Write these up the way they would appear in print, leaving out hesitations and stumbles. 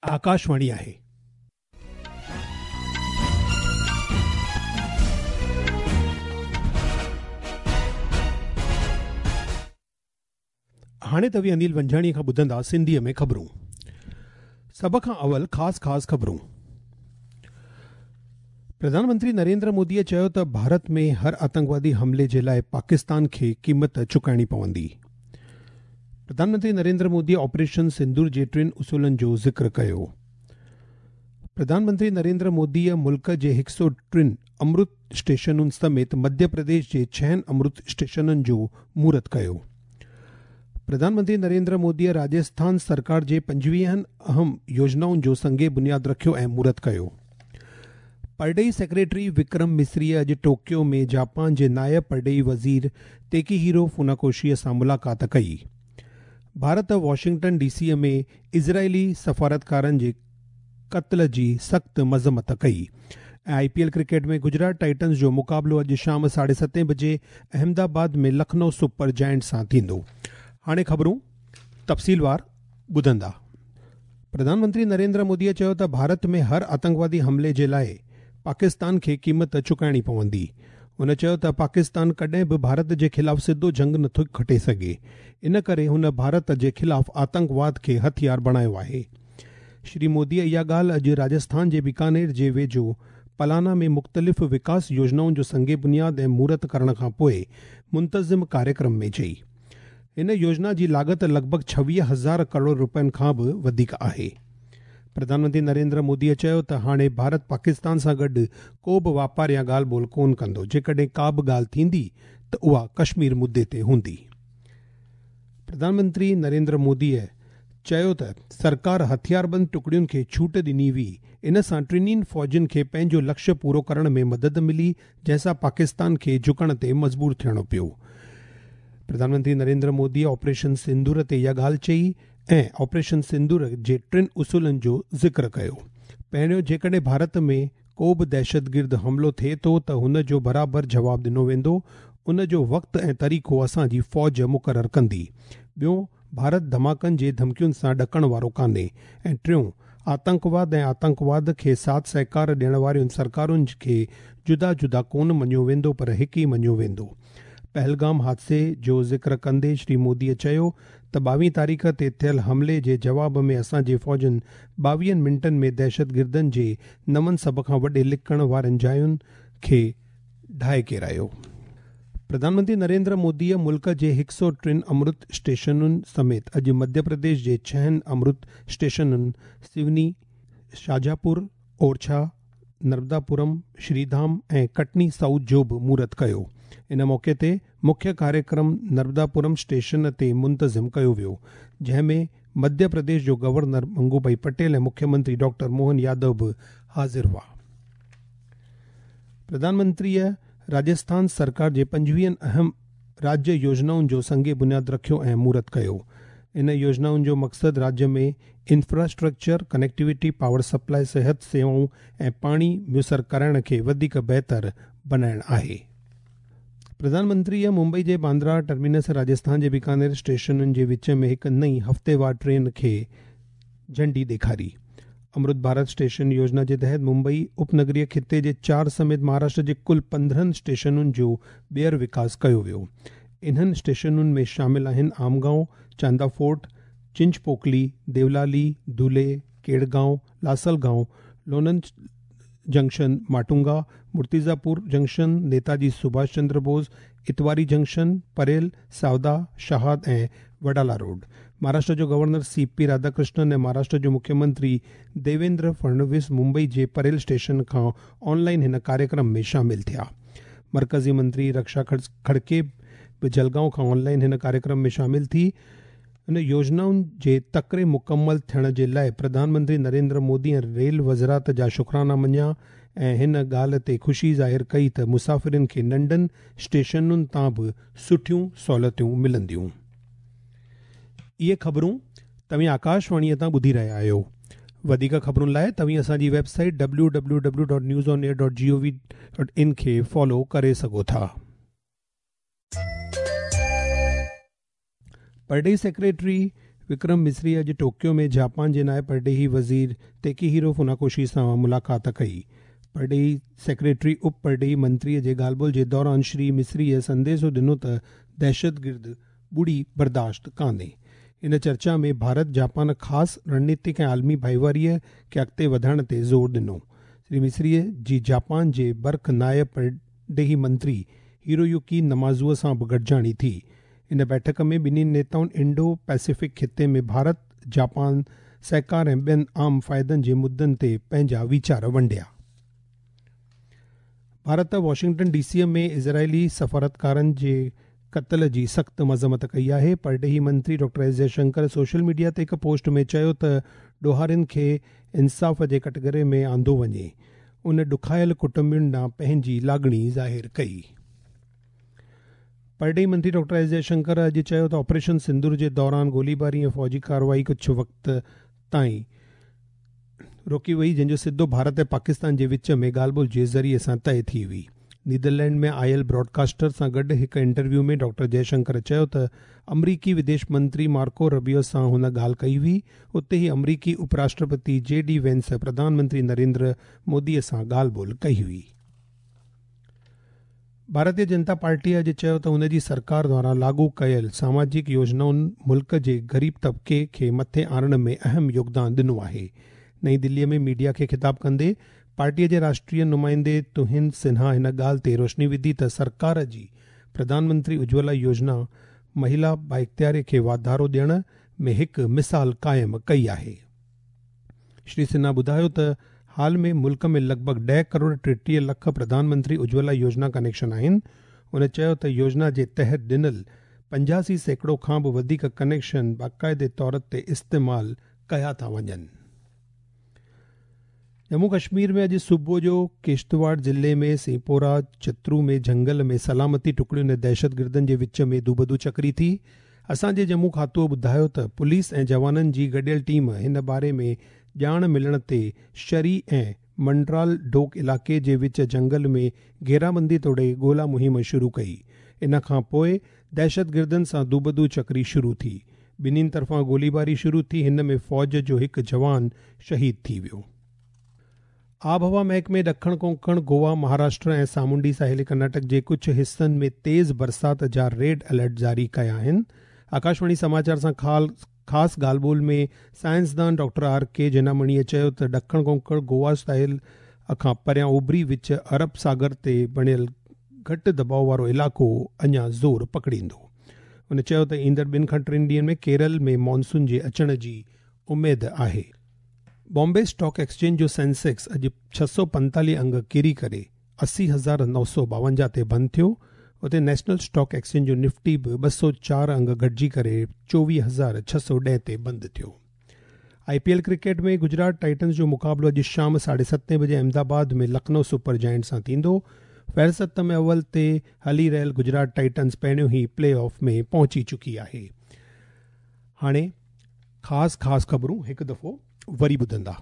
آڪاشواڻي آهي. هاڻي توهين انيل ونجهاڻي کان ٻڌندا سنڌيء ۾ خبرون. سڀ کان اول خاص خاص خبرون. پرڌان منتري نريندر موديء چيو ته ڀارت ۾ هر آتنڪوادي حملي جي لاء پاڪستان کي قيمت چڪائڻي پوندي. پرڌان منتري نريندر موديء آپريشن سندور جي ٽن اصولن جو ذڪر ڪيو. پرڌان منتري نريندر موديء ملڪ جي هڪ سؤ ٽن امرت اسٽيشنن سميت مڌيه پرديش جي ڇهن امرت اسٽيشنن جو مهورت ڪيو. پرڌان منتري نريندر موديء راجسٿان سرڪار جي پنجويهن اهم يوجنائن جو سنگ بنياد رکيو ۽ مهورت ڪيو. پرڏيهي سيڪريٽري وڪرم مصريء اڄ ٽوڪيو ۾ جاپان جي نائب پرڏيهي وزير تيڪيهيرو فوناڪوشيء سان ملاقات ڪئي. ڀارت واشنگٽن ڊي سيء ۾ اسرائيلي سفارتڪارن جي قتل جي سخت مذمت ڪئي. ۽ I P L cricket ۾ Gujarat Titans جو مقابلو اڄ شام ساڍي ستين بجي احمدآباد ۾ لکنؤ سپر جائنٽس سان ٿيندو. هاڻي خبرون تفصيلوار ٻڌندا. پرڌان منتري نريندر موديء چيو ته ڀارت ۾ هر آتنڪوادي حملي جي لاء پاڪستان کي قيمت چڪائڻي پوندي. هن چيو ته پاڪستان ڪڏهن به ڀارت جي خلاف سڌو جنگ نٿو کٽي سگهي، ان ڪري هن ڀارت جي خلاف آتنڪواد کي هٿيار بڻايو آهي. شري موديء اها ڳالهه اڄ راجسٿان جي بيڪانير جي ويجهو پلانا ۾ مختلف وڪاس يوجنائن جو سنگ بنياد ۽ مهورت ڪرڻ کانپوء منتظم ڪاريڪرم ۾ چئي. هن يوجنا جي لاڳت لڳ ڀڳ 26 هزار ڪروڙ رپين کان به وڌيڪ آهي. پرڌان منتري نريندر موديء چيو ته هاڻي ڀارت پاڪستان سان گڏ ڪو به واپار يا ڳالهه ٻولهه ڪونه ڪندو، جيڪڏهن ڪا به ڳالهه ٿيندي ته اها ڪشمير مدي تي هوندي. پرڌان منتري نريندر موديء چيو ته سرڪار هٿياربند ٽڪڙين کي ڇوٽ ڏني وئي، ان سان ٽنهي فوجن کي پنهنجو لڪشيه پورو ڪرڻ ۾ مدد ملي، جنهن سان پاڪستان کي جهڪڻ تي مجبور ٿيڻو پيو. پرڌان منتري نريندر موديء آپريشن سندور تي اها ڳالهه چئي ۽ آپريشن سندور جي ٽن اصولن جو ذڪر ڪيو. پهريون، جيڪڏهن ڀارت ۾ ڪو به دهشتگرد حملو ٿئي ٿو ته هن جو برابر جواب ڏنو ويندو، ان جو وقت ۽ طريقو اسان جي فوج مقرر ڪندي. ٻيون، ڀارت ڌماڪن جي ڌمڪين سان ڏڪڻ وارو ڪانهي ۽ ٽيون، آتنڪواد ۽ آتنڪواد کي ساٿ سهڪار ڏيڻ وارين سرڪارن کي جدا جدا ڪونه مڃيو ويندو پر هڪ ئي مڃيو ويندو. پهلگام حادثي جو ذڪر ڪندي شري موديء چيو ته ٻاويهه تاريخ تي ٿيل حملي جي جواب ۾ اسان جي فوجن ٻاويهن منٽن ۾ دهشتگردن جي نون سڀ کان وڏي لڪڻ وارين جاين کي ڊاهي ڪيرايو. پرڌان منتري نريندر موديء ملڪ جي هڪ سؤ ٽن امرت اسٽيشنن سميت اڄ مڌيه پرديش جي ڇهن امرت اسٽيشنن سيوني، شاجاپور، اورڇا، نرمداپورم، شريڌام ۽ ڪٽني سائوٿ جو به مهورت ڪيو. ان موقعي تي مکيه ڪاريڪرم نرمداپورم اسٽيشن تي منتظم ڪيو ويو، جنهن ۾ مڌيه پرديش جو گورنر منگوڀائي پٽيل ۽ مکيه منتري ڊاڪٽر موهن يادو به حاضر هئا. پرڌان منتريء راجسٿان سرڪار جي پنجويهن اهم راجيه يوجنائن جو سنگ بنياد رکيو ۽ مهورت ڪيو. ان يوجنائن جو مقصد راجيه ۾ انفراسٽرڪچر، ڪنيڪٽيوٽي، پاور سپلاء، صحت سيوائون ۽ پاڻي ميسر ڪرائڻ کي وڌيڪ بهتر بنائڻ آهي. پرڌان منتريء ممبئي جي باندرا ٽرمينس ۽ راجسٿان جي بيڪانير اسٽيشنن جي وچ ۾ هڪ نئين هفتيوار ٽرين کي جهنڊي ڏيکاري. امرت ڀارت اسٽيشن يوجنا جي تحت ممبئي اپنگريه خطي جي چار سميت مهاراشٽر جي ڪل 15 اسٽيشنن جو ٻيهر وڪاس ڪيو ويو. انهن اسٽيشنن ۾ شامل آهن Amgaon, Chanda fort, Chinchpokli, Deolali, Dhule, Kedgaon, Lasalgaon, Lonand junction, Matunga, Murtizapur junction, Netaji Subhash Chandra Bose, Itwari junction, Parel, Savda, Shahad ۽ Wadala road. Maharashtra جو گورنر سي پي راڌاڪرشنن ۽ مهاراشٽر جو مکيه منتري ديويندر ڦڙنويس ممبئي جي پريل اسٽيشن کان آن لائن هن ڪاريڪرم ۾ شامل ٿيا. مرڪزي منتري رڪشا کڙڪي به جلگائون کان آن لائن هن ڪاريڪرم ۾ شامل ٿي هن يوجنائن جي تڪڙي مڪمل ٿيڻ جي لاء پرڌان منتري نريندر مودي ۽ ريل وزارت جا شڪرانا مڃيا ۽ هن ڳالهه تي خوشي ظاهر ڪئي ته مسافرن کي ننڍن اسٽيشنن تان به سٺيون سهولتون ملنديون. اهي خبرون توهين آڪاشواڻيء تان ٻڌي رهيا آهيو. وڌيڪ خبرن لاء توهين اسان جي web site W W W dot news on air dot G O V dot in کي فالو ڪري سگهو ٿا. پرڏيهي سيڪريٽري وڪرم مصري اڄ ٽوڪيو ۾ جاپان جي نائب پرڏيهي وزير تيڪيهيرو فوناڪوشي سان ملاقات ڪئي. پرڏيهي سيڪريٽري اپ پرڏيهي منتري جي ڳالهه ٻولهه جي دوران شري مصريء سنديسو ڏنو ته دهشتگرد ٻڙي برداشت ڪانهي. ان چرچا ۾ ڀارت جاپان خاص رڻنيتڪ ۽ عالمي ڀائيواريء کي اڳتي وڌائڻ تي زور ڏنو. شري مصريء جي جاپان جي برک نائب پرڏيهي منتري هيرويوڪي نمازوء سان به گڏجاڻي ٿي. ان بيٺڪ ۾ ٻنهي نيتائن انڊو پيسفڪ خطي ۾ ڀارت جاپان سهڪار ۽ ٻين عام فائدن جي مدعن تي پنهنجا ويچار ونڊيا. ڀارت واشنگٽن ڊي سيء ۾ اسرائيلي سفارتڪارن جي قتل جي سخت مذمت ڪئي آهي. پرڏيهي منتري doctor S Jaishankar social media تي هڪ پوسٽ ۾ چيو ته ڏوهارين کي انصاف جي ڪٽگهري ۾ آندو وڃي. ان ڏکايل ڪٽنبن ڏانهن پنهنجي لاڳڻي ظاهر ڪئي. پرڏيهي منتري ڊاڪٽر ايس جئشنڪر اڄ چيو ته آپريشن سندور جي دوران گوليباري ۽ فوجي ڪارروائي ڪجهه وقت تائين روڪي وئي جنهن جو سڌو ڀارت ۽ پاڪستان جي وچ ۾ ڳالهه ٻولهه جي ذريعي سان طئي ٿي هئي. نيدرلينڊ ۾ آيل براڊڪاسٽر سان گڏ هڪ انٽرويو ۾ ڊاڪٽر جئشنڪر چيو ته آمريڪي وديش منتري مارڪو ربيو سان هن ڳالهه ڪئي هئي، اتي ئي آمريڪي اپ راشٽرپتي جي ڊي وينس پرڌان منتري نريندر مودي سان ڳالهه ٻولهه ڪئي هئي. ڀارتيه جنتا پارٽيء اڄ چيو ته ان جي سرڪار دواران لاڳو ڪيل ساماجڪ يوجنائن ملڪ جي غريب طبقي کي مٿي آڻڻ ۾ اهم يوگدان ڏنو آهي. نئين دليء ۾ ميڊيا کي خطاب ڪندي پارٽيء جي راشٽريه نمائندي تهين سنها هن ڳالهه تي روشني وڌي ته سرڪار جي پرڌان منتري اجولا يوجنا مهلا بااختياري کي واڌارو ڏيڻ ۾ هڪ مثال قائم ڪئي آهي. شري سنها ٻڌايو ته حال ۾ ملڪ ۾ لڳ ڀڳ ڏهه ڪروڙ 33 لک پرڌان منتري اجولا يوجنا ڪنيڪشن آهن. هن چيو ته يوجنا جي تحت ڏنل 85% کان به وڌيڪ ڪنيڪشن باقاعدي طور تي استعمال ڪيا ٿا وڃن. ڄمون ڪشمير ۾ اڄ صبح جو ڪشتواڙ ضلعي ۾ سيپورا چترو ۾ جهنگل ۾ سلامتي ٽڪڙين ۽ دهشتگردن جي وچ ۾ دوبدو چڪري ٿي. اسان جي ڄمون کاتوء ٻڌايو ته پوليس ۽ جوانن جي گڏيل ٽيم هن باري ۾ ڄاڻ ملڻ تي شري ۽ منڊرال ڊوڪ علائقي جي وچ جهنگل ۾ گهيرابندي توڙي ڳولا مهم شروع ڪئي. ان کان پوء دهشتگردن سان دوبدو چڪري شروع ٿي. ٻنهين طرفان گوليباري شروع ٿي هن ۾ فوج جو هڪ جوان شهيد ٿي ويو. آبهوا محڪمي ڏکڻ ڪونڪڻ، گوا، مهاراشٽر ۽ سامونڊي ساحلي ڪرناٽڪ جي ڪجهه حصن ۾ تيز برسات جا ريڊ الرٽ جاري ڪيا آهن. آڪاشواڻي سماچار سان خاص ڳالهه ٻولهه ۾ سائنسدان ڊاڪٽر آر ڪي جينامڻيء چيو ته ڏکڻ ڪونڪڻ، گوا ساحل کان پريان اوڀري وچ عرب ساگر تي بڻيل گهٽ دٻاء وارو علائقو اڃا زور پڪڙيندو. هن چيو ته ايندڙ ٻن کان ٽن ڏينهن ۾ ڪيرل ۾ مانسون جي اچڻ جي اميد آهي. بامبي اسٽاڪ ايڪسچينج جو سينسيڪس اڄ 645 انگ ڪري ڪري 80,952 تي بند ٿيو. اتي نيشنل اسٽاڪ ايڪسچينج جو نفٽي به 204 انگ گهٽجي ڪري 24,610 تي بند ٿيو. I P L cricket ۾ Gujarat Titans جو مقابلو اڄ شام 7:30 بجي احمدآباد ۾ لکنؤ سپر جائنٽس سان ٿيندو. فهرست ۾ اول تي هلي رهيل گجرات ٽائٽنز پهريون ئي پلي آف ۾ پهچي چڪي آهي. هاڻي خاص خاص خبرون هڪ دفعو وري ٻڌندا.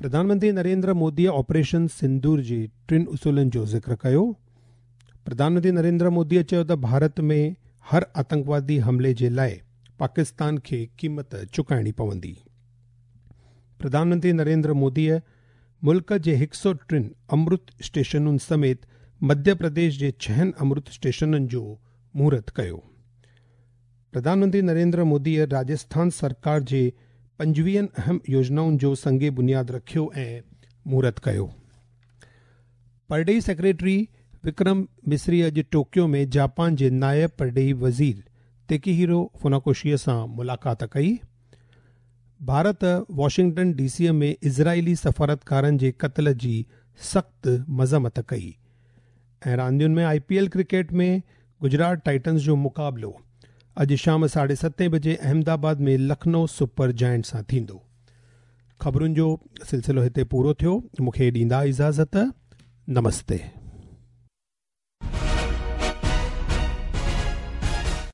پرڌان منتري نريندر موديء آپريشن سندور جي ٽن اصولن جو ذڪر ڪيو. پرڌان منتري نريندر موديء چيو ته ڀارت ۾ هر آتنڪوادي حملي جي لاء پاڪستان کي قيمت چڪائڻي پوندي. پرڌان منتري نريندر موديء ملڪ جي 103 امرت اسٽيشنن سميت مڌيه پرديش جي ڇهن امرت اسٽيشنن جو مهورت ڪيو. پرڌان منتري نريندر موديء راجسٿان سرڪار جي 25 اهم يوجنائن جو سنگ بنياد رکيو ۽ مهورت ڪيو. پرڏيهي سيڪريٽري وڪرم مصري اڄ ٽوڪيو ۾ جاپان جي نائب پرڏيهي وزير تيڪيهيرو فوناڪوشيء سان ملاقات ڪئي. ڀارت واشنگٽن ڊي سيء ۾ اسرائيلي سفارتڪارن جي قتل جي سخت مذمت ڪئي. ۽ راندين ۾ I P L cricket ۾ Gujarat Titans جو مقابلو اڄ شام 7:30 بجي احمدآباد ۾ لکنؤ سپر جائنٽس سان ٿيندو. خبرن جو سلسلو هتي پورو ٿيو. مون کي ڏيندا اجازت. نمستي.